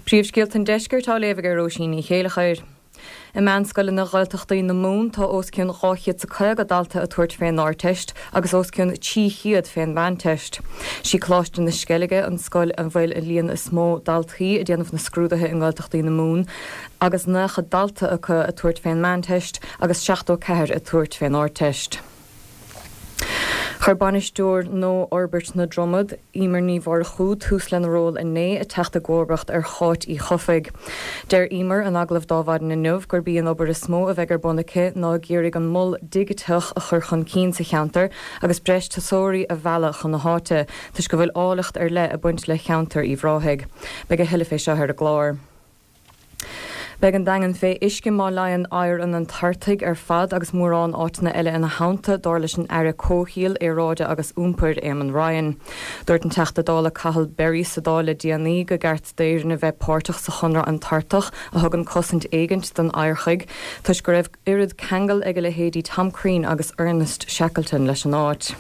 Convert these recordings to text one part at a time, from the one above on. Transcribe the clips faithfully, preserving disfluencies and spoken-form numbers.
Príomhscéalta an Deiscirt á léamh ag Róisín Ní Chéilleachair. I meánscoileanna Ghaeltachtaí na Mumhan tá os cionn dhá chéad is a caoga dalta ag tabhairt fén Ardteist agus os cionn trí chéad fén Mheánteist. Sí Coláiste na Sceilge an scoil a bhfuil an líon is mó daltaí ag déanamh na scrúduithe i nGaeltachtaí na Mumhan agus nócha dalta acu ag tabhairt fén Meánteist agus seachtó ceathair ag tabhairt fén Ardteist. Chuir bainisteoir nua Fhorbairt na Dromad, Emer Ní Mhurchú, tús lena ról inné, ag teacht i gcomharbacht ar Cháit Uí Chofaigh. Deir Emer in agallamh d'Adhmhaidin inniu gurb í an obair is mó a bheidh ar bun aici ná ag iarraidh an mol digiteach a chur chun cinn sa cheantar agus breis turasóirí a mhealladh chun na háite, toisc go bhfuil áilleacht ar leith ag baint le ceantar Uíbh Ráthaigh. Beidh a thuilleadh fé seo ar an gclár. Beidh an Daingean fé uisce má leánn oighear an Antartaigh ar fad agus mórán áiteanna eile ina theannta, dar leis an Aire Comhshaoil, Aeráide agus Iompair, Eamon Ryan. Dúirt an Teachta Dála Cathal Berry sa Dáil le déanaí gur cheart d'Éirinn a bheith páirteach sa Chonradh Antartach a thugann cosaint éigint don oighearchuig toisc go raibh oiread ceangal ag a leithéidí Tom Crean agus Ernest Shackleton leis an áit.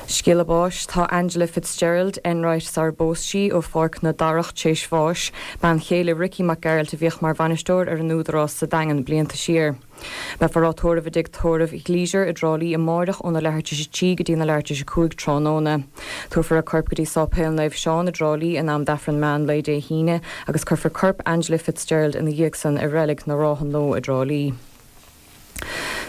Scéala báis Tá Angela Fitzgerald Enright sar bpós sí ó Pháirc na Darach tar éis bháis, bean chéile Ricky Mac Gearailt a bhíodh mar bhainisteoir ar an Údarás sa Daingean blianta siar. Beifear á tórramh i dtigh tórraimh Leisure i dTrá Lí amárach óna leathuair tar éis a trí go dtí na leathuair tar éis a cúig tráthnóna. Tabharfar a corp go dtí Sáipéal Naomh Seán i dTrá Lí in am d'Aifreann meán lae Dé hAoine agus cuirfear corp Angela Fitzgerald ina dhiaidh san i reilig na Rátha Nua i dTrá Lí.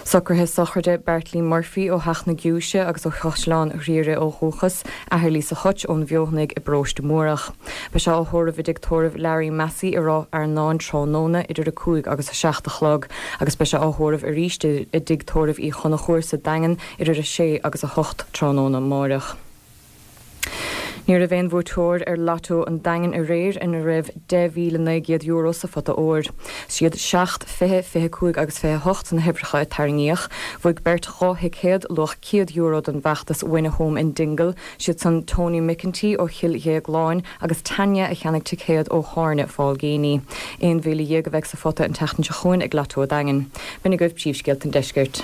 Socruithe sochraide Bertlie Murphy ó Theach na Giúise agus ó Chaisleán Ghriaire ó dhúchas, athair Lisa Hutch ón Bhfeothanaigh i bparóiste Múrach. Beidh sé á thórramh i dtigh tórraimh Larry Massey i Ráth Fhearnáin tráthnóna idir a cúig agus a seacht a chlog, agus beidh sé á thórramh arís i dtigh tórraimh Uí Chonchúir sa Daingean idir a sé agus a hocht tráthnóna amárach. Ní raibh aon bhuaiteoir ar Lotto an Daingin aréir ina raibh deich míle naoi gcéad euro sa phota óir. Siad seacht fiche fiche cúig agus fiche hocht na huimhreacha a tarraingíodh, bhuaigh beirt dhá thicéad luach céad euro don bhfeachtas Win a Home in Dingle, siad san Tony McEntee ó Chill Dhéagláin agus Tanya a cheannaigh ticéad ó Thairne Fál Géiní. Aon mhíle dhéag a bheidh sa phota an tseachtain seo chugainn ag Lotto an Daingin. B'in agaibh príomhscéalta an deiscirt.